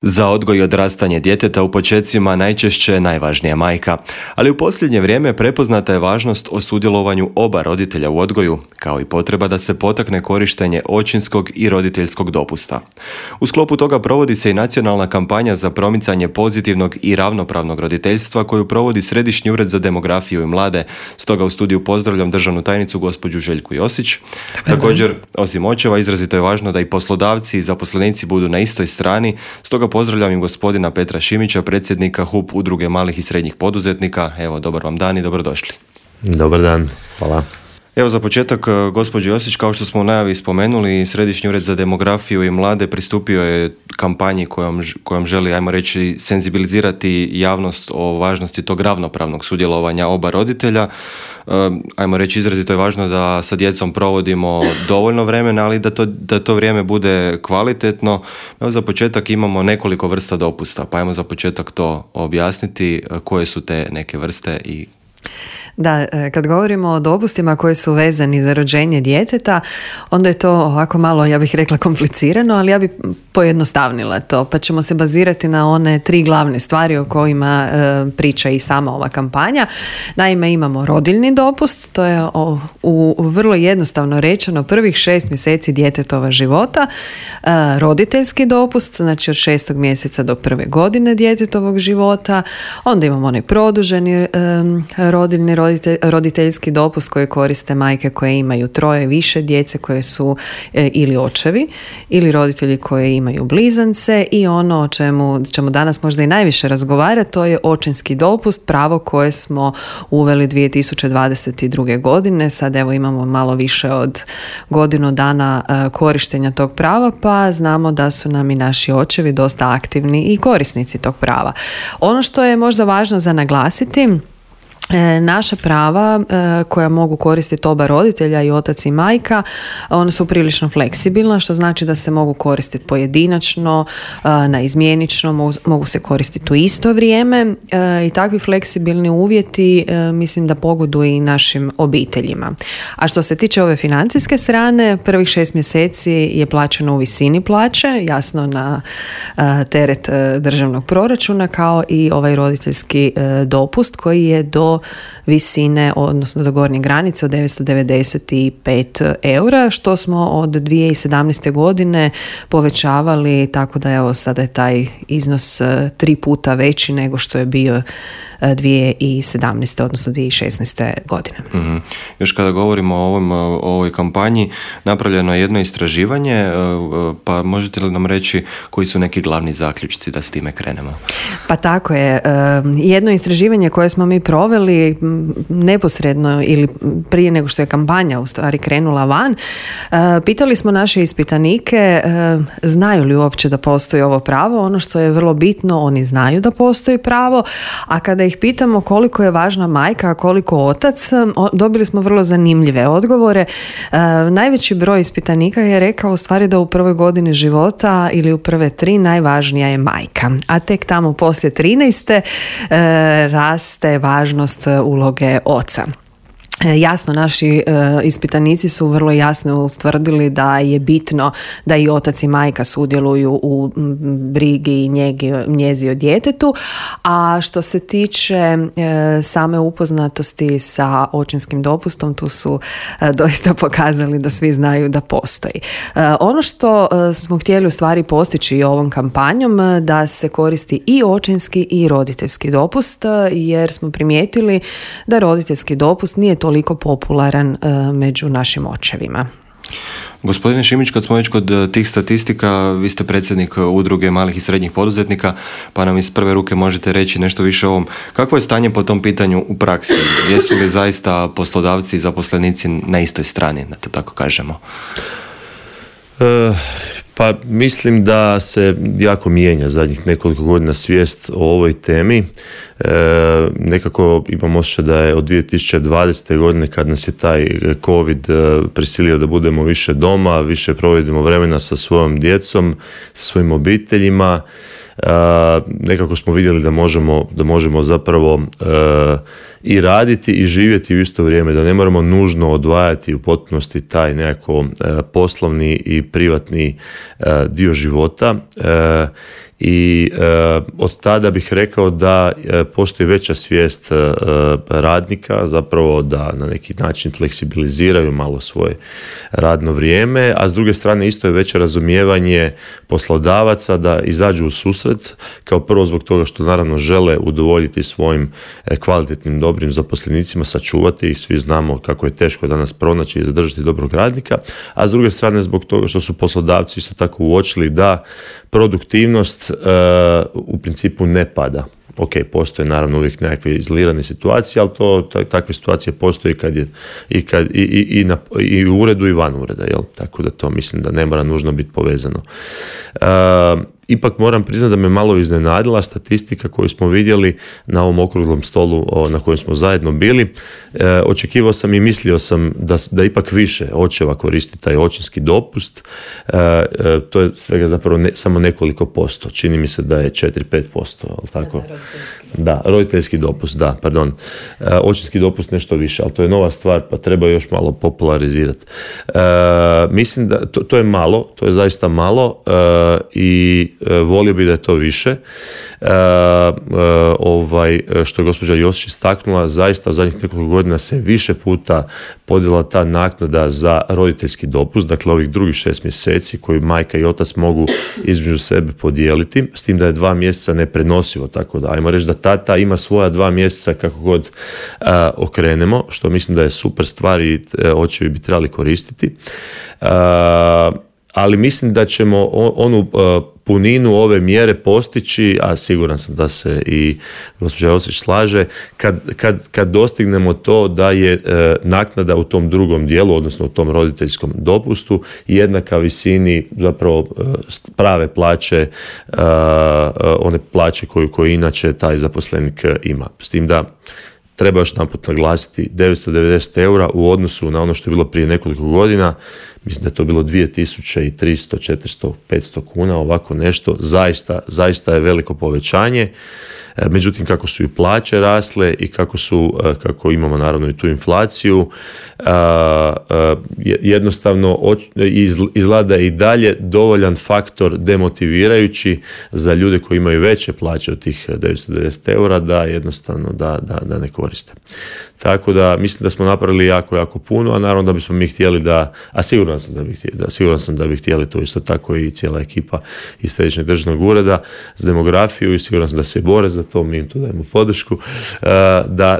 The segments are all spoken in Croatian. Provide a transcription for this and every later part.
Za odgoj i odrastanje djeteta u počecima najčešće je najvažnija majka, ali u posljednje vrijeme prepoznata je važnost o sudjelovanju oba roditelja u odgoju, kao i potreba da se potakne korištenje očinskog i roditeljskog dopusta. U sklopu toga provodi se i nacionalna kampanja za promicanje pozitivnog i ravnopravnog roditeljstva koju provodi Središnji ured za demografiju i mlade. Stoga u studiju pozdravljam državnu tajnicu gospođu Željku Josić. Također, osim očeva, izrazito je važno da i poslodavci i zaposlenici budu na istoj strani, stoga pozdravljam i gospodina Petra Šimića, predsjednika HUP Udruge malih i srednjih poduzetnika. Evo, dobar vam dan i dobrodošli. Dobar dan, hvala. Evo za početak, gospođo Josić, kao što smo u najavi spomenuli, Središnji ured za demografiju i mlade pristupio je kampanji kojom želi, ajmo reći, senzibilizirati javnost o važnosti tog ravnopravnog sudjelovanja oba roditelja. Ajmo reći, izrazito je važno da sa djecom provodimo dovoljno vremena, ali da to vrijeme bude kvalitetno. Evo za početak imamo nekoliko vrsta dopusta, pa ajmo za početak to objasniti, koje su te neke vrste i... Da, kad govorimo o dopustima koji su vezani za rođenje djeteta, onda je to ovako malo, ja bih rekla, komplicirano, ali ja bih pojednostavnila to, pa ćemo se bazirati na one 3 glavne stvari o kojima priča i sama ova kampanja. Naime, imamo rodiljni dopust, to je u vrlo jednostavno rečeno prvih 6 mjeseci djetetova života, roditeljski dopust, znači od 6. mjeseca do 1. godine djetetovog života, onda imamo onaj produženi rodiljni roditeljski dopust koji koriste majke koje imaju 3 više djece koje su ili očevi ili roditelji koji imaju blizance, i ono o čemu ćemo danas možda i najviše razgovarati, to je očinski dopust, pravo koje smo uveli 2022. godine. Sad evo imamo malo više od godinu dana korištenja tog prava, pa znamo da su nam i naši očevi dosta aktivni i korisnici tog prava. Ono što je možda važno za naglasiti, naša prava koja mogu koristiti oba roditelja, i otac i majka, ona su prilično fleksibilna, što znači da se mogu koristiti pojedinačno, naizmjenično, mogu se koristiti u isto vrijeme, i takvi fleksibilni uvjeti mislim da pogoduju i našim obiteljima. A što se tiče ove financijske strane, prvih 6 mjeseci je plaćeno u visini plaće, jasno na teret državnog proračuna, kao i ovaj roditeljski dopust koji je do visine, odnosno do gornje granice od 995 eura, što smo od 2017. godine povećavali, tako da evo sada je taj iznos 3 puta veći nego što je bio 2017. odnosno 2016. godine. Mm-hmm. Još kada govorimo o ovoj kampanji, napravljeno je jedno istraživanje, pa možete li nam reći koji su neki glavni zaključci da s time krenemo? Pa tako je. Jedno istraživanje koje smo mi proveli neposredno ili prije nego što je kampanja u stvari krenula van, pitali smo naše ispitanike znaju li uopće da postoji ovo pravo. Ono što je vrlo bitno, oni znaju da postoji pravo, a kada ih pitamo koliko je važna majka, a koliko otac, dobili smo vrlo zanimljive odgovore. Najveći broj ispitanika je rekao u stvari da u prvoj godini života ili u prve 3 najvažnija je majka, a tek tamo poslije 13. raste važnost uloge oca. Jasno, naši ispitanici su vrlo jasno ustvrdili da je bitno da i otac i majka sudjeluju u brigi i njezi o djetetu, a što se tiče same upoznatosti sa očinskim dopustom, tu su doista pokazali da svi znaju da postoji. Ono što smo htjeli u stvari postići ovom kampanjom, da se koristi i očinski i roditeljski dopust, jer smo primijetili da roditeljski dopust nije toliko popularan među našim očevima. Gospodine Šimić, kad smo već kod tih statistika, vi ste predsjednik Udruge malih i srednjih poduzetnika, pa nam iz prve ruke možete reći nešto više o ovom. Kakvo je stanje po tom pitanju u praksi? Jesu li zaista poslodavci i zaposlenici na istoj strani, da to tako kažemo? Pa mislim da se jako mijenja zadnjih nekoliko godina svijest o ovoj temi. Nekako imam osjećaj da je od 2020. godine, kad nas je taj COVID prisilio da budemo više doma, više provedemo vremena sa svojom djecom, sa svojim obiteljima, nekako smo vidjeli da možemo zapravo i raditi i živjeti u isto vrijeme, da ne moramo nužno odvajati u potpunosti taj nekako poslovni i privatni dio života. i od tada bih rekao da postoji veća svijest radnika, zapravo da na neki način fleksibiliziraju malo svoje radno vrijeme, a s druge strane isto je veće razumijevanje poslodavaca da izađu u susret, kao prvo zbog toga što naravno žele udovoljiti svojim kvalitetnim, dobrim zaposlenicima, sačuvati ih, svi znamo kako je teško danas pronaći i zadržati dobrog radnika, a s druge strane zbog toga što su poslodavci isto tako uočili da produktivnost u principu ne pada. Ok, postoje naravno uvijek nekakve izolirane situacije, ali takve situacije postoje i u uredu i van ureda, jel? Tako da to mislim da ne mora nužno biti povezano. Ipak moram priznati da me malo iznenadila statistika koju smo vidjeli na ovom okruglom stolu na kojem smo zajedno bili. Očekivao sam i mislio sam da ipak više očeva koristi taj očinski dopust. To je svega zapravo samo nekoliko posto. Čini mi se da je 4-5%. Ali tako? Da, roditeljski dopust, da, pardon. Očinski dopust nešto više, ali to je nova stvar, pa treba još malo popularizirati. Mislim da to je malo, to je zaista malo i volio bi da je to više. Što je gospođa Josić istaknula, zaista u zadnjih nekoliko godina se više puta podijela ta naknada za roditeljski dopust, dakle ovih drugih 6 mjeseci koju majka i otac mogu između sebe podijeliti, s tim da je 2 mjeseca neprenosivo, tako da ajmo reći da tata ima svoja 2 mjeseca kako god okrenemo, što mislim da je super stvar i očevi bi trebali koristiti. Ali mislim da ćemo onu puninu ove mjere postići, a siguran sam da se i gospođa Josić slaže, kad dostignemo to da je naknada u tom drugom dijelu, odnosno u tom roditeljskom dopustu, jednaka visini zapravo prave plaće, one plaće koju inače taj zaposlenik ima. S tim da treba još jedanput naglasiti 990 eura u odnosu na ono što je bilo prije nekoliko godina, mislim da je to bilo 2300, 400, 500 kuna, ovako nešto, zaista je veliko povećanje. Međutim, kako su i plaće rasle i kako imamo naravno i tu inflaciju, jednostavno izgleda i dalje dovoljan faktor demotivirajući za ljude koji imaju veće plaće od tih 990 eura da jednostavno da ne koriste. Tako da mislim da smo napravili jako puno, a naravno da bismo mi htjeli siguran sam da bi htjeli to isto tako i cijela ekipa iz Središnjeg državnog ureda za demografiju i siguran sam da se bore za to, mi im tu dajemo podršku,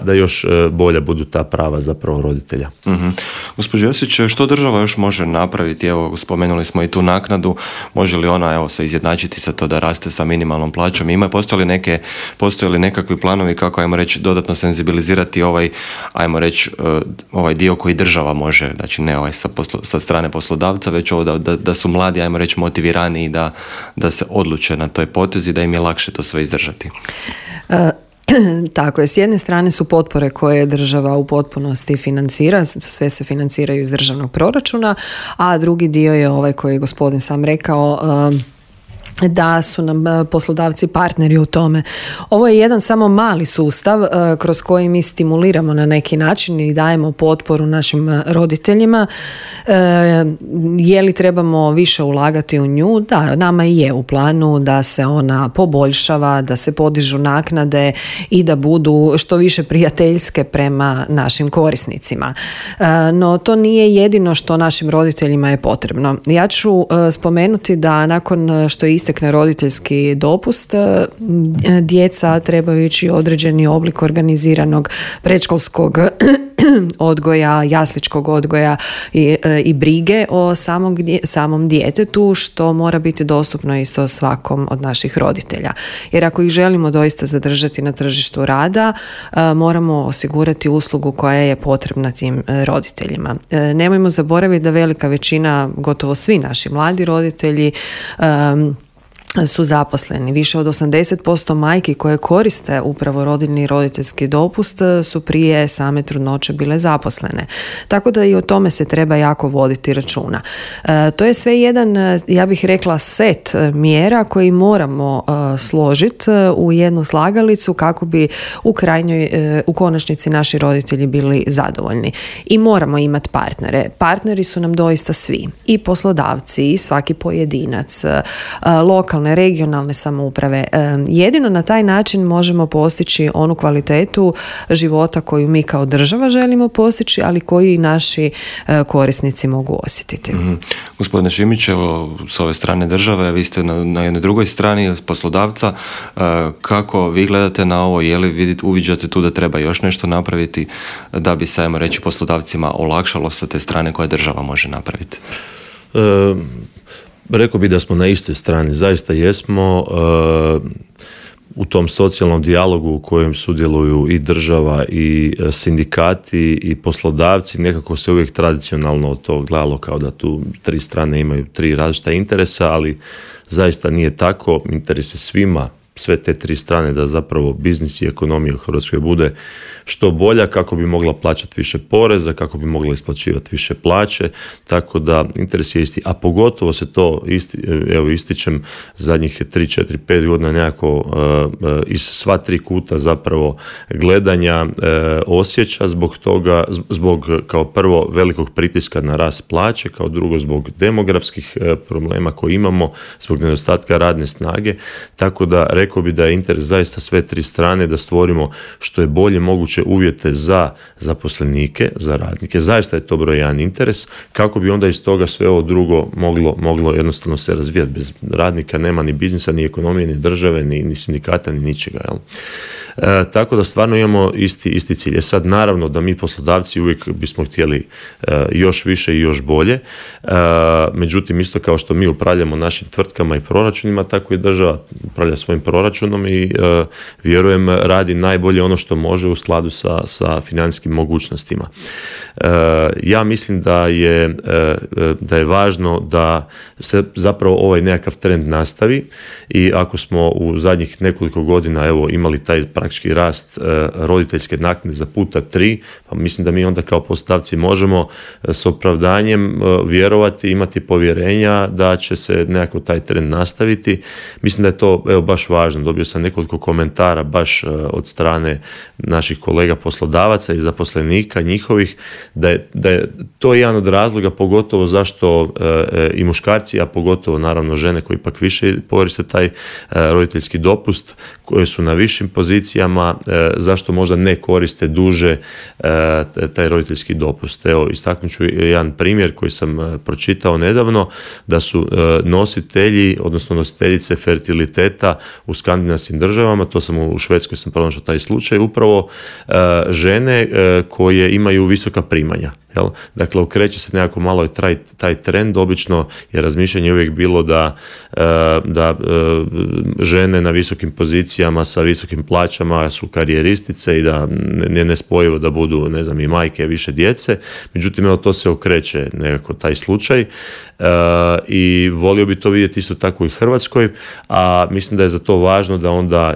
da još bolja budu ta prava zapravo roditelja. Mm-hmm. Gospođo Josić, što država još može napraviti? Evo, spomenuli smo i tu naknadu, može li ona se izjednačiti sa to da raste sa minimalnom plaćom? Postoje li nekakvi planovi kako, ajmo reći, dodatno senzibilizirati ovaj dio koji država može, znači ne sa strane poslodavca, već ovo da su mladi, ajmo reći, motivirani i da se odluče na toj potezi, da im je lakše to sve izdržati? Tako je, s jedne strane su potpore koje država u potpunosti financira, sve se financiraju iz državnog proračuna, a drugi dio je ovaj koji je gospodin sam rekao, da su nam poslodavci partneri u tome. Ovo je jedan samo mali sustav kroz koji mi stimuliramo na neki način i dajemo potporu našim roditeljima. Je li trebamo više ulagati u nju? Da, nama i je u planu da se ona poboljšava, da se podižu naknade i da budu što više prijateljske prema našim korisnicima. No to nije jedino što našim roditeljima je potrebno. Ja ću spomenuti da nakon što je istekne roditeljski dopust, djeca trebaju ići određeni oblik organiziranog predškolskog odgoja, jasličkog odgoja i brige o samom djetetu, što mora biti dostupno isto svakom od naših roditelja. Jer ako ih želimo doista zadržati na tržištu rada, moramo osigurati uslugu koja je potrebna tim roditeljima. Nemojmo zaboraviti da velika većina, gotovo svi naši mladi roditelji su zaposleni. Više od 80% majki koje koriste upravo rodiljni i roditeljski dopust su prije same trudnoće bile zaposlene. Tako da i o tome se treba jako voditi računa. To je sve jedan, ja bih rekla, set mjera koji moramo složiti u jednu slagalicu kako bi u konačnici naši roditelji bili zadovoljni. I moramo imati partnere. Partneri su nam doista svi. I poslodavci, i svaki pojedinac, lokalni lokalne, regionalne samouprave. Jedino na taj način možemo postići onu kvalitetu života koju mi kao država želimo postići, ali koji i naši korisnici mogu osjetiti. Gospodine Šimić, evo s ove strane države, vi ste na jednoj drugoj strani poslodavca. Kako vi gledate na ovo? Je li uviđate tu da treba još nešto napraviti da bi se, ajmo reći, poslodavcima olakšalo sa te strane koje država može napraviti? Rekao bih da smo na istoj strani, zaista jesmo. U tom socijalnom dijalogu u kojem sudjeluju i država i sindikati i poslodavci, nekako se uvijek tradicionalno to gledalo kao da tu tri strane imaju tri različita interesa, ali zaista nije tako. Interes je svima, sve te tri strane, da zapravo biznis i ekonomija u Hrvatskoj bude što bolja, kako bi mogla plaćati više poreza, kako bi mogla isplaćivati više plaće, tako da interes je isti, a pogotovo se to ističem zadnjih 3, 4, 5 godina nekako iz sva tri kuta zapravo gledanja osjeća zbog toga, zbog kao prvo velikog pritiska na rast plaće, kao drugo zbog demografskih problema koje imamo, zbog nedostatka radne snage, tako da rekao bi da je interes zaista sve tri strane da stvorimo što je bolje moguće uvjete za zaposlenike, za radnike. Zaista je to broj jedan interes, kako bi onda iz toga sve ovo drugo moglo jednostavno se razvijati. Bez radnika nema ni biznisa, ni ekonomije, ni države, ni sindikata, ni ničega. Jel? Tako da stvarno imamo isti cilj. Sad naravno da mi poslodavci uvijek bismo htjeli još više i još bolje, međutim isto kao što mi upravljamo našim tvrtkama i proračunima, tako i država upravlja svojim proračunom i vjerujem radi najbolje ono što može u skladu sa financijskim mogućnostima. Ja mislim da je važno da se zapravo ovaj nekakav trend nastavi i ako smo u zadnjih nekoliko godina imali taj praktički rast roditeljske naknade za puta 3, pa mislim da mi onda kao poslodavci možemo s opravdanjem vjerovati, imati povjerenja da će se nekako taj trend nastaviti. Mislim da je to baš važno. Dobio sam nekoliko komentara baš od strane naših kolega poslodavaca i zaposlenika njihovih da je to jedan od razloga pogotovo zašto i muškarci, a pogotovo naravno žene koji ipak više koriste taj roditeljski dopust, koje su na višim pozicijama, zašto možda ne koriste duže taj roditeljski dopust. Evo, istaknut ću jedan primjer koji sam pročitao nedavno, da su nositelji, odnosno nositeljice fertiliteta u skandinavskim državama, to sam u Švedskoj sam pronašao taj slučaj, upravo žene koje imaju visoka primanja. Jel? Dakle, okreće se nekako malo taj trend. Obično je razmišljanje uvijek bilo da žene na visokim pozicijama sa visokim plaćama su karijeristice i da je nespojivo da budu, ne znam, i majke više djece. Međutim, to se okreće nekako taj slučaj i volio bi to vidjeti isto tako i u Hrvatskoj, a mislim da je za to važno da onda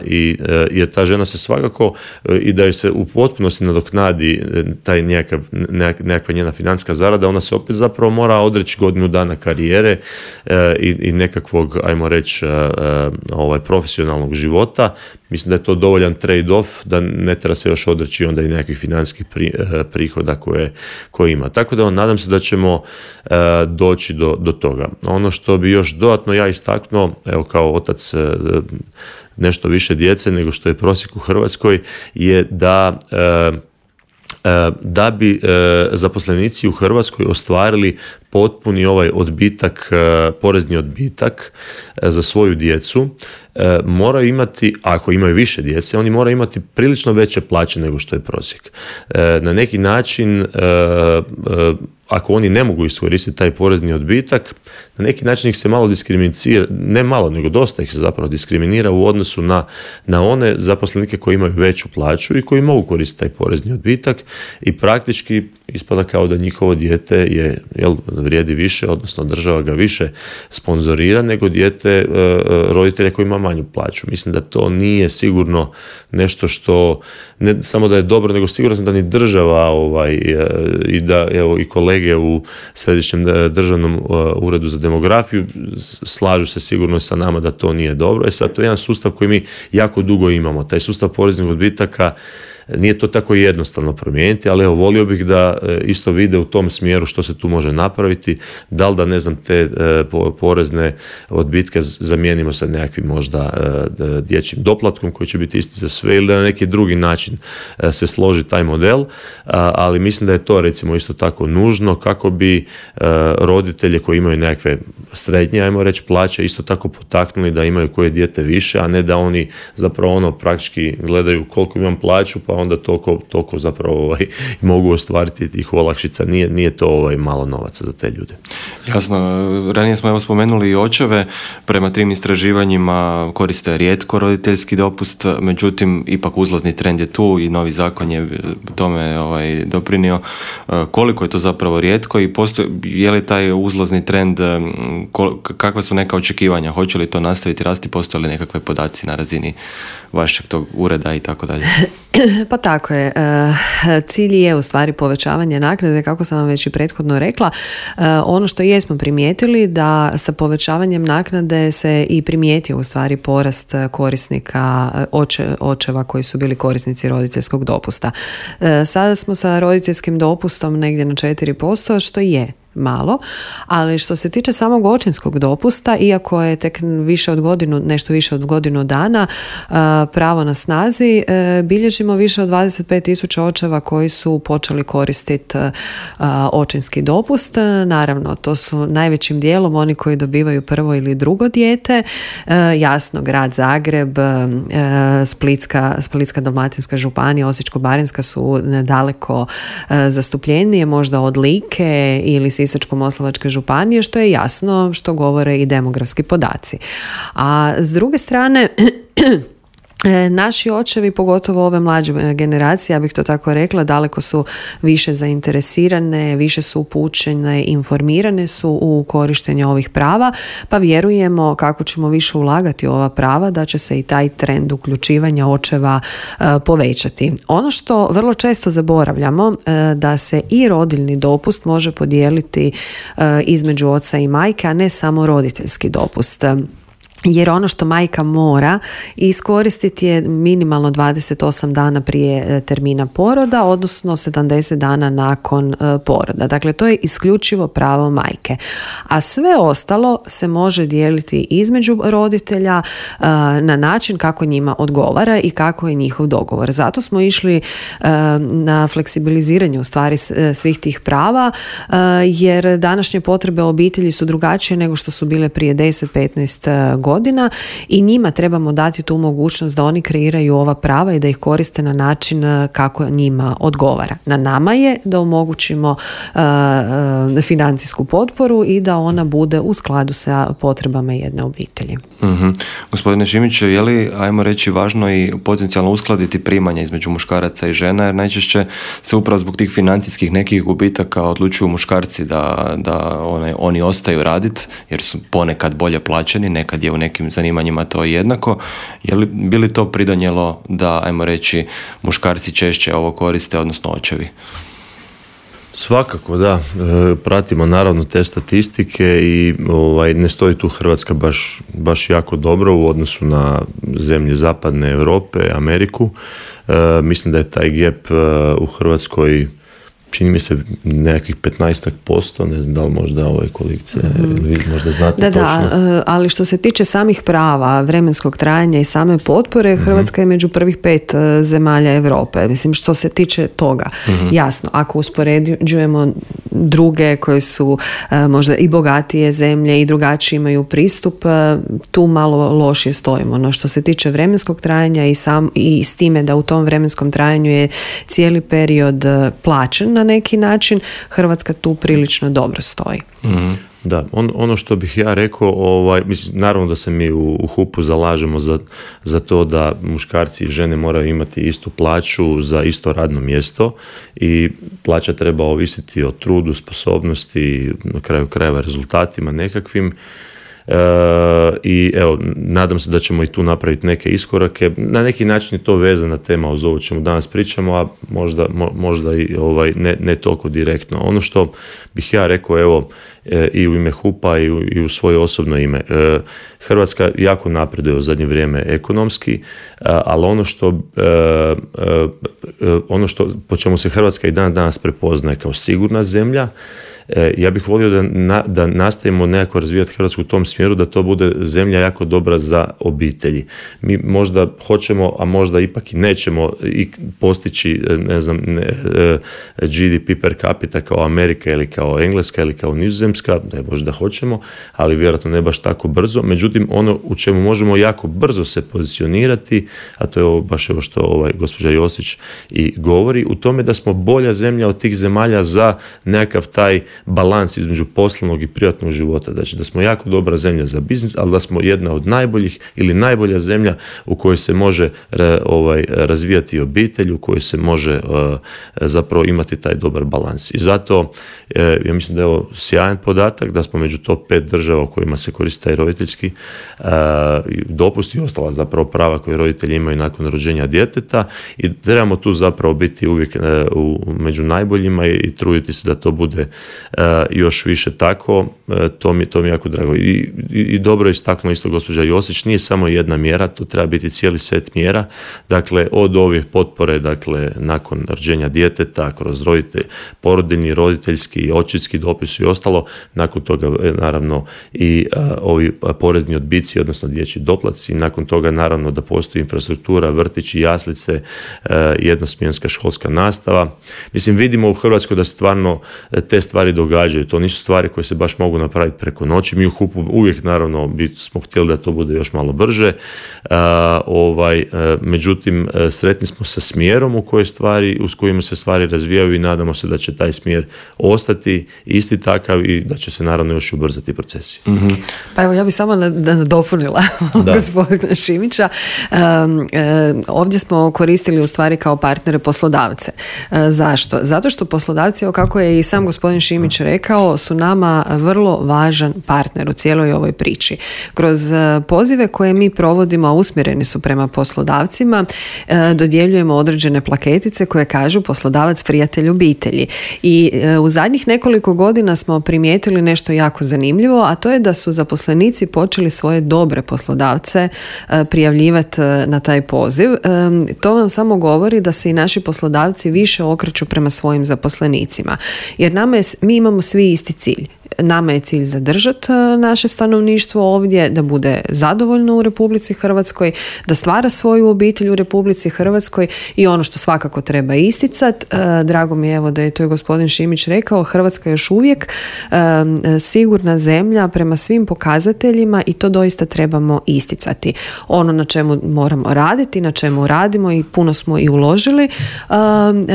jer ta žena se svakako i da joj se u potpunosti nadoknadi taj nekakva njena financijska zarada, ona se opet zapravo mora odreći godinu dana karijere i nekakvog, ajmo reći, profesionalnog života. Mislim da je to dovoljan trade-off, da ne treba se još odreći onda i nekakvih financijskih prihoda koje ima. Tako da nadam se da ćemo doći do toga. Ono što bi još dodatno ja istaknuo, evo kao otac nešto više djece nego što je prosjek u Hrvatskoj, je da bi zaposlenici u Hrvatskoj ostvarili potpuni ovaj odbitak, porezni odbitak za svoju djecu, moraju imati, ako imaju više djece, oni moraju imati prilično veće plaće nego što je prosjek. Na neki način, ako oni ne mogu iskoristiti taj porezni odbitak, na neki način ih se malo diskriminira, ne malo, nego dosta ih se zapravo diskriminira u odnosu na one zaposlenike koji imaju veću plaću i koji mogu koristiti taj porezni odbitak i praktički ispada kao da njihovo dijete vrijedi više, odnosno država ga više sponzorira nego dijete roditelja koji ima manju plaću. Mislim da to nije sigurno nešto što, ne samo da je dobro, nego sigurno da ni država i da i kolege u Središnjem državnom uredu za demografiju slažu se sigurno sa nama da to nije dobro. Sad to je jedan sustav koji mi jako dugo imamo. Taj sustav poreznih odbitaka nije to tako jednostavno promijeniti, ali evo, volio bih da isto vide u tom smjeru što se tu može napraviti, da li da, ne znam, te porezne odbitke zamijenimo sa nekakvim možda dječjim doplatkom koji će biti isti za sve, ili da na neki drugi način se složi taj model, ali mislim da je to recimo isto tako nužno kako bi roditelje koji imaju nekakve srednje, ajmo reći, plaće isto tako potaknuli da imaju koje dijete više, a ne da oni zapravo praktički gledaju koliko imam plaću, pa onda toliko zapravo mogu ostvariti tih olakšica. Nije to malo novaca za te ljude. Jasno, ranije smo spomenuli i očeve, prema 3 istraživanjima koriste rijetko roditeljski dopust, međutim ipak uzlazni trend je tu i novi zakon je tome doprinio. Koliko je to zapravo rijetko i je li taj uzlazni trend, kakva su neka očekivanja, hoće li to nastaviti rasti, postoje li nekakve podaci na razini vašeg tog ureda i tako dalje? Pa tako je. Cilj je u stvari povećavanje naknade, kako sam vam već i prethodno rekla. Ono što jesmo primijetili da sa povećavanjem naknade se i primijetio u stvari porast korisnika očeva koji su bili korisnici roditeljskog dopusta. Sada smo sa roditeljskim dopustom negdje na 4%, što je malo, ali što se tiče samog očinskog dopusta, iako je tek nešto više od godinu dana pravo na snazi, bilježimo više od 25.000 očeva koji su počeli koristiti očinski dopust. Naravno, to su najvećim dijelom oni koji dobivaju prvo ili drugo dijete. Jasno, grad Zagreb, Splitska-dalmatinska županija, Osječko-baranjska su daleko zastupljenije, možda od Like ili Sisačko-moslavačke županije, što je jasno, što govore i demografski podaci. A s druge strane, naši očevi, pogotovo ove mlađe generacije, ja bih to tako rekla, daleko su više zainteresirane, više su upućene, informirane su u korištenje ovih prava, pa vjerujemo kako ćemo više ulagati u ova prava da će se i taj trend uključivanja očeva povećati. Ono što vrlo često zaboravljamo, da se i rodiljni dopust može podijeliti između oca i majke, a ne samo roditeljski dopust. Jer ono što majka mora iskoristiti je minimalno 28 dana prije termina poroda, odnosno 70 dana nakon poroda. Dakle, to je isključivo pravo majke. A sve ostalo se može dijeliti između roditelja na način kako njima odgovara i kako je njihov dogovor. Zato smo išli na fleksibiliziranje u stvari svih tih prava, jer današnje potrebe obitelji su drugačije nego što su bile prije 10-15 godina i njima trebamo dati tu mogućnost da oni kreiraju ova prava i da ih koriste na način kako njima odgovara. Na nama je da omogućimo financijsku potporu i da ona bude u skladu sa potrebama jedne obitelji. Gospodine Šimić, je li, ajmo reći, važno i potencijalno uskladiti primanja između muškaraca i žena, jer najčešće se upravo zbog tih financijskih nekih gubitaka odlučuju muškarci da oni ostaju raditi jer su ponekad bolje plaćeni, nekad je u nekim zanimanjima to jednako. Bi li to pridonijelo da, ajmo reći, muškarci češće ovo koriste, odnosno očevi? Svakako, da. Pratimo naravno te statistike i ne stoji tu Hrvatska baš jako dobro u odnosu na zemlje zapadne Europe, Ameriku. Mislim da je taj gap u Hrvatskoj, čini mi se, nekakvih 15%, ne znam da li možda kolegice ili možda znate točno. Da, ali što se tiče samih prava, vremenskog trajanja i same potpore, Hrvatska je među prvih 5 zemalja Europe. Mislim, što se tiče toga, jasno, ako uspoređujemo druge koje su možda i bogatije zemlje i drugačiji imaju pristup, tu malo lošije stojimo. No što se tiče vremenskog trajanja i s time da u tom vremenskom trajanju je cijeli period plaćen na neki način, Hrvatska tu prilično dobro stoji. Da, ono što bih ja rekao, mislim, naravno da se mi u HUP-u zalažemo za to da muškarci i žene moraju imati istu plaću za isto radno mjesto i plaća treba ovisiti o trudu, sposobnosti, na kraju krajeva rezultatima nekakvim. I evo, nadam se da ćemo i tu napraviti neke iskorake. Na neki način je to vezana tema uz ovo čemu danas pričamo, a možda i ne toliko direktno. Ono što bih ja rekao, evo, i u ime HUP-a i u svoje osobno ime. Hrvatska jako napreduje u zadnje vrijeme ekonomski, ali ono što po čemu se Hrvatska i danas prepoznaje kao sigurna zemlja, ja bih volio da nastavimo nekako razvijati Hrvatsku u tom smjeru, da to bude zemlja jako dobra za obitelji. Mi možda hoćemo, a možda ipak i nećemo i postići, GDP per capita kao Amerika ili kao Engleska ili kao Nizozemska, da je možda hoćemo, ali vjerojatno ne baš tako brzo. Međutim, ono u čemu možemo jako brzo se pozicionirati, a to je baš evo što gospođa Josić i govori, u tome da smo bolja zemlja od tih zemalja za nekakav taj balans između poslovnog i privatnog života. Znači da smo jako dobra zemlja za biznis, ali da smo jedna od najboljih ili najbolja zemlja u kojoj se može razvijati obitelj, u kojoj se može zapravo imati taj dobar balans. I zato ja mislim da je ovo sjajan podatak da smo među top 5 država u kojima se koristi taj roditeljski dopust i ostala zapravo prava koje roditelji imaju nakon rođenja djeteta i trebamo tu zapravo biti uvijek među najboljima i truditi se da to bude još više tako, to mi je jako drago. I dobro je istaknuo isto gospođa Josić, nije samo jedna mjera, to treba biti cijeli set mjera, dakle od ovih potpore, dakle nakon rođenja djeteta, kroz porodiljni, roditeljski, očinski dopis i ostalo, nakon toga naravno i ovi porezni odbici, odnosno dječji doplatci, nakon toga naravno da postoji infrastruktura, vrtići, jaslice, jednosmjenska školska nastava. Mislim, vidimo u Hrvatskoj da stvarno te stvari događaju, to nisu stvari koje se baš mogu napraviti preko noći. Mi u HUP-u uvijek naravno smo htjeli da to bude još malo brže, međutim sretni smo sa smjerom uz kojima se stvari razvijaju i nadamo se da će taj smjer ostati isti takav i da će se naravno još ubrzati procesi. Mm-hmm. Pa evo ja bih samo nadopunila gospodina Šimića. Ovdje smo koristili u stvari kao partnere poslodavce. Zašto? Zato što poslodavci, kako je i sam gospodin Šimić rekao, su nama vrlo važan partner u cijeloj ovoj priči. Kroz pozive koje mi provodimo, a usmjereni su prema poslodavcima, dodjeljujemo određene plaketice koje kažu poslodavac prijatelj obitelji. I u zadnjih nekoliko godina smo primijetili nešto jako zanimljivo, a to je da su zaposlenici počeli svoje dobre poslodavce prijavljivati na taj poziv. To vam samo govori da se i naši poslodavci više okreću prema svojim zaposlenicima. Jer mi imamo svi isti cilj. Nama je cilj zadržati naše stanovništvo ovdje, da bude zadovoljno u Republici Hrvatskoj, da stvara svoju obitelj u Republici Hrvatskoj i ono što svakako treba isticati, drago mi je evo da je to i gospodin Šimić rekao, Hrvatska je još uvijek sigurna zemlja prema svim pokazateljima i to doista trebamo isticati. Ono na čemu moramo raditi, na čemu radimo i puno smo i uložili,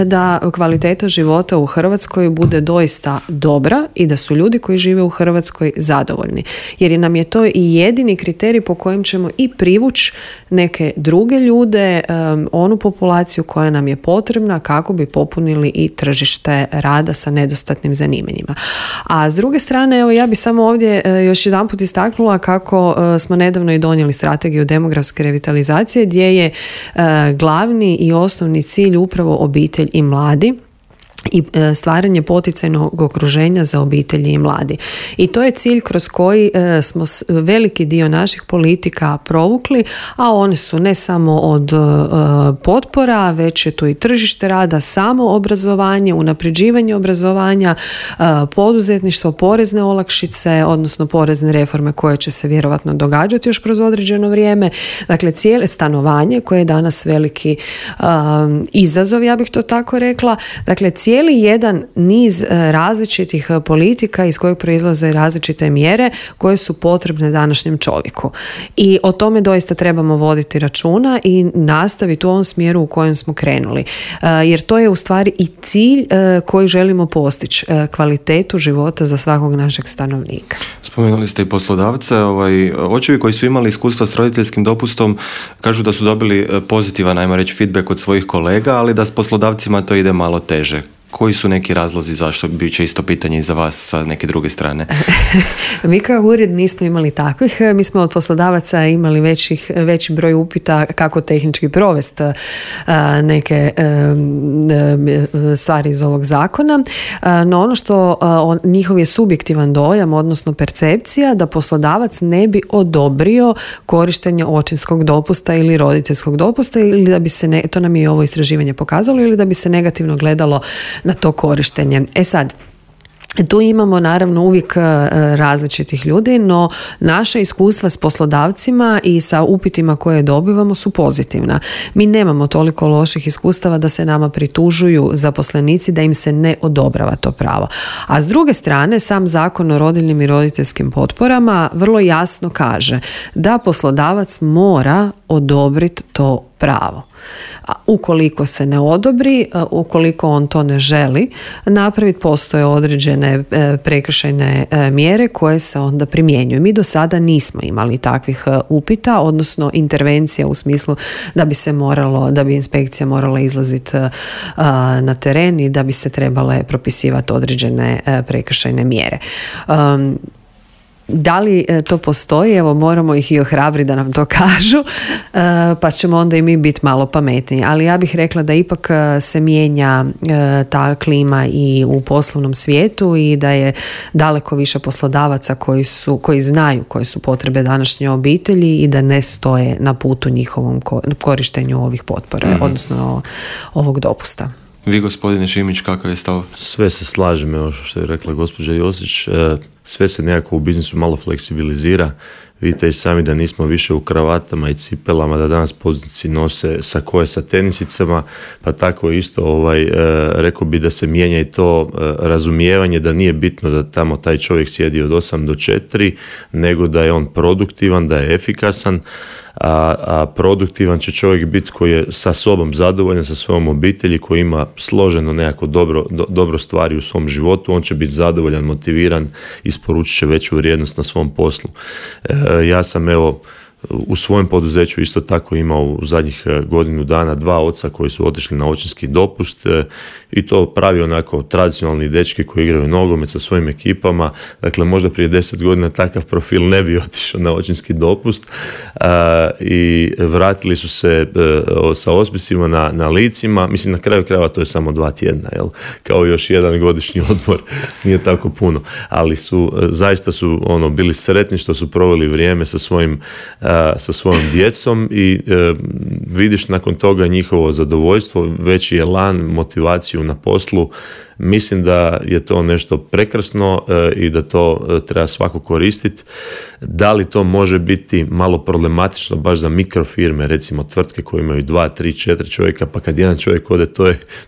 da kvaliteta života u Hrvatskoj bude doista dobra i da su ljudi koji žive u Hrvatskoj zadovoljni. Jer nam je to i jedini kriterij po kojem ćemo i privući neke druge ljude, onu populaciju koja nam je potrebna kako bi popunili i tržište rada sa nedostatnim zanimanjima. A s druge strane, evo ja bih samo ovdje još jedanput istaknula kako smo nedavno i donijeli strategiju demografske revitalizacije gdje je glavni i osnovni cilj upravo obitelj i mladi i stvaranje poticajnog okruženja za obitelji i mladi. I to je cilj kroz koji smo veliki dio naših politika provukli, a one su ne samo od potpora, već je tu i tržište rada, samo obrazovanje, unapređivanje obrazovanja, poduzetništvo, porezne olakšice, odnosno porezne reforme koje će se vjerovatno događati još kroz određeno vrijeme. Dakle, cijele stanovanje koje je danas veliki izazov, ja bih to tako rekla. Dakle, cijeli jedan niz različitih politika iz kojeg proizlaze različite mjere koje su potrebne današnjem čovjeku. I o tome doista trebamo voditi računa i nastaviti u ovom smjeru u kojem smo krenuli. Jer to je u stvari i cilj koji želimo postići, kvalitetu života za svakog našeg stanovnika. Spomenuli ste i poslodavce, očevi koji su imali iskustva s roditeljskim dopustom kažu da su dobili pozitivan, ajmo reći, feedback od svojih kolega, ali da s poslodavcima to ide malo teže. Koji su neki razlozi zašto? Bit će isto pitanje i za vas sa neke druge strane. Mi kao ured nismo imali takvih. Mi smo od poslodavaca imali veći broj upita kako tehnički provesti neke stvari iz ovog zakona. No ono što njihov je subjektivan dojam, odnosno percepcija, da poslodavac ne bi odobrio korištenje očinskog dopusta ili roditeljskog dopusta, ili da bi se, to nam je ovo istraživanje pokazalo, ili da bi se negativno gledalo na to korištenje. Sad, tu imamo naravno uvijek različitih ljudi, no naša iskustva s poslodavcima i sa upitima koje dobivamo su pozitivna. Mi nemamo toliko loših iskustava da se nama pritužuju zaposlenici da im se ne odobrava to pravo. A s druge strane, sam Zakon o rodiljnim i roditeljskim potporama vrlo jasno kaže da poslodavac mora odobriti to pravo. A ukoliko se ne odobri, ukoliko on to ne želi napraviti, postoje određene prekršajne mjere koje se onda primjenjuju. Mi do sada nismo imali takvih upita, odnosno intervencija u smislu da bi inspekcija morala izlaziti na teren i da bi se trebale propisivati određene prekršajne mjere. Da li to postoji? Evo, moramo ih i ohrabriti da nam to kažu, pa ćemo onda i mi biti malo pametniji. Ali ja bih rekla da ipak se mijenja ta klima i u poslovnom svijetu i da je daleko više poslodavaca koji znaju koje su potrebe današnje obitelji i da ne stoje na putu njihovom korištenju ovih potpora, odnosno ovog dopusta. Vi, gospodine Šimić, kakav je stav? Sve se slažem, evo što je rekla gospođa Josić, sve se nekako u biznisu malo fleksibilizira. Vidite i sami da nismo više u kravatama i cipelama, da danas poduzetnici nose sakoje sa tenisicama, pa tako isto rekao bi da se mijenja i to razumijevanje da nije bitno da tamo taj čovjek sjedi od 8 do 4, nego da je on produktivan, da je efikasan, a produktivan će čovjek biti koji je sa sobom zadovoljan, sa svojom obitelji, koji ima složeno nekako dobro stvari u svom životu, on će biti zadovoljan, motiviran, isporučit će veću vrijednost na svom poslu. Ja sam u svojem poduzeću isto tako imao u zadnjih godinu dana 2 oca koji su otišli na očinski dopust i to pravi onako tradicionalni dečki koji igraju nogomet sa svojim ekipama. Dakle, možda prije 10 godina takav profil ne bi otišao na očinski dopust i vratili su se sa ospisima na licima. Mislim, na kraju krajeva to je samo 2 tjedna, kao još jedan godišnji odmor, nije tako puno. Ali zaista su bili sretni što su proveli vrijeme sa svojom djecom i vidiš nakon toga njihovo zadovoljstvo, veći elan, motivaciju na poslu. Mislim da je to nešto prekrasno i da to treba svako koristiti. Da li to može biti malo problematično baš za mikrofirme, recimo tvrtke koje imaju 2, 3, 4 čovjeka, pa kad jedan čovjek ode, to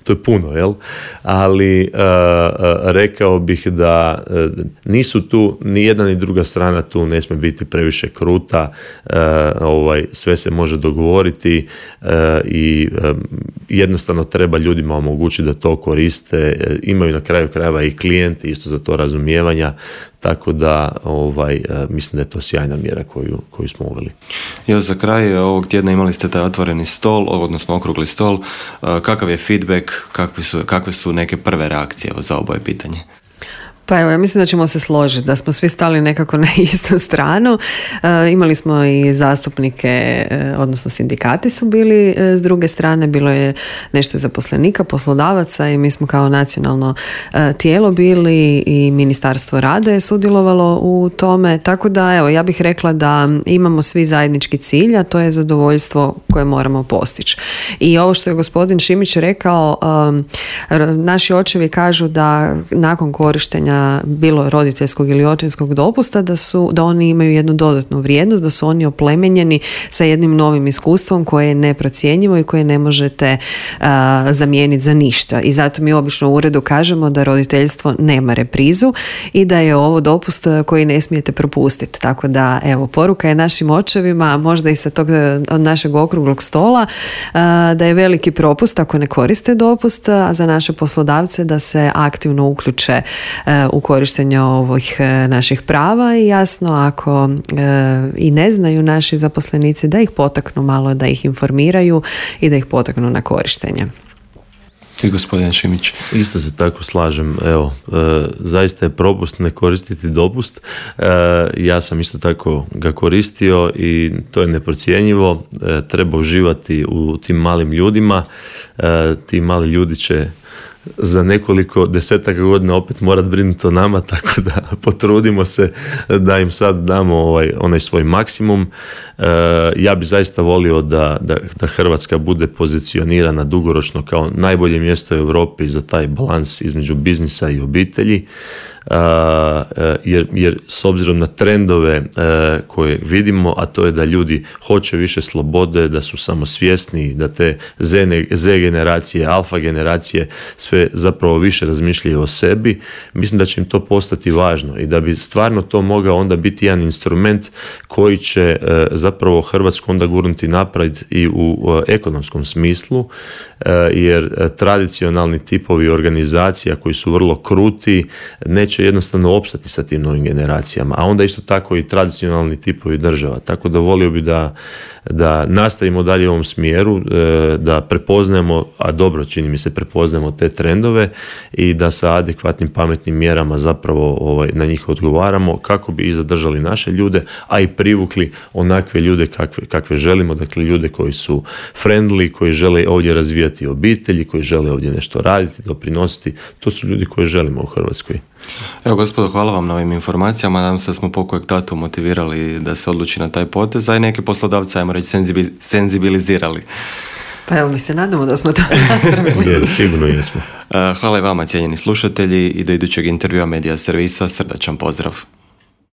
je puno, jel? Ali rekao bih da nisu tu, ni jedna ni druga strana tu ne smije biti previše kruta, sve se može dogovoriti i jednostavno treba ljudima omogućiti da to koriste. Imaju na kraju krajeva i klijenti isto za to razumijevanja, tako da mislim da je to sjajna mjera koju smo uveli. Evo, za kraj ovog tjedna imali ste taj otvoreni stol, odnosno okrugli stol. Kakav je feedback, kakve su neke prve reakcije za oboje pitanje? Pa evo, ja mislim da ćemo se složiti, da smo svi stali nekako na istu stranu. Imali smo i zastupnike, odnosno sindikati su bili s druge strane, bilo je nešto zaposlenika, poslodavaca i mi smo kao nacionalno tijelo bili i Ministarstvo rada je sudjelovalo u tome, tako da evo, ja bih rekla da imamo svi zajednički cilj, a to je zadovoljstvo koje moramo postići. I ovo što je gospodin Šimić rekao, naši očevi kažu da nakon korištenja bilo roditeljskog ili očinskog dopusta da oni imaju jednu dodatnu vrijednost, da su oni oplemenjeni sa jednim novim iskustvom koje je neprocjenjivo i koje ne možete zamijeniti za ništa. I zato mi obično u uredu kažemo da roditeljstvo nema reprizu i da je ovo dopust koji ne smijete propustiti. Tako da, evo, poruka je našim očevima, možda i sa tog našeg okruglog stola, da je veliki propust ako ne koriste dopust, a za naše poslodavce da se aktivno uključe u korištenje ovih naših prava i jasno ako i ne znaju naši zaposlenici da ih potaknu malo, da ih informiraju i da ih potaknu na korištenje. Ti, gospodin Šimić? Isto se tako slažem. Evo, zaista je propust ne koristiti dopust. Ja sam isto tako ga koristio i to je neprocjenjivo. Treba uživati u tim malim ljudima. Ti mali ljudi će za nekoliko desetaka godina opet morat brinuti o nama, tako da potrudimo se da im sad damo onaj svoj maksimum. Ja bi zaista volio da Hrvatska bude pozicionirana dugoročno kao najbolje mjesto u Europi za taj balans između biznisa i obitelji. Jer s obzirom na trendove koje vidimo, a to je da ljudi hoće više slobode, da su samosvjesni, da te Z generacije, alfa generacije sve zapravo više razmišljaju o sebi, mislim da će im to postati važno i da bi stvarno to mogao onda biti jedan instrument koji će zapravo Hrvatsku onda gurnuti naprijed i u ekonomskom smislu, jer tradicionalni tipovi organizacija koji su vrlo kruti neće jednostavno opstati sa tim novim generacijama, a onda isto tako i tradicionalni tipovi država. Tako da volio bi da nastavimo dalje u ovom smjeru, da prepoznajemo, a dobro čini mi se prepoznajemo te trendove i da sa adekvatnim pametnim mjerama zapravo na njih odgovaramo kako bi i zadržali naše ljude, a i privukli onakve ljude kakve želimo, dakle ljude koji su friendly, koji žele ovdje razvijati obitelji, koji žele ovdje nešto raditi, doprinositi. To su ljudi koje želimo u Hrvatskoj. Evo, gospodo, hvala vam na ovim informacijama. Nadam se da smo pokojeg tatu motivirali da se odluči na taj potez, a i neke poslodavce, ajmo reći, senzibilizirali. Pa evo, mi se nadamo da smo to napravili. Sigurno jesmo. Hvala i vama, cijenjeni slušatelji, i do idućeg intervjua Medija servisa srdačan pozdrav.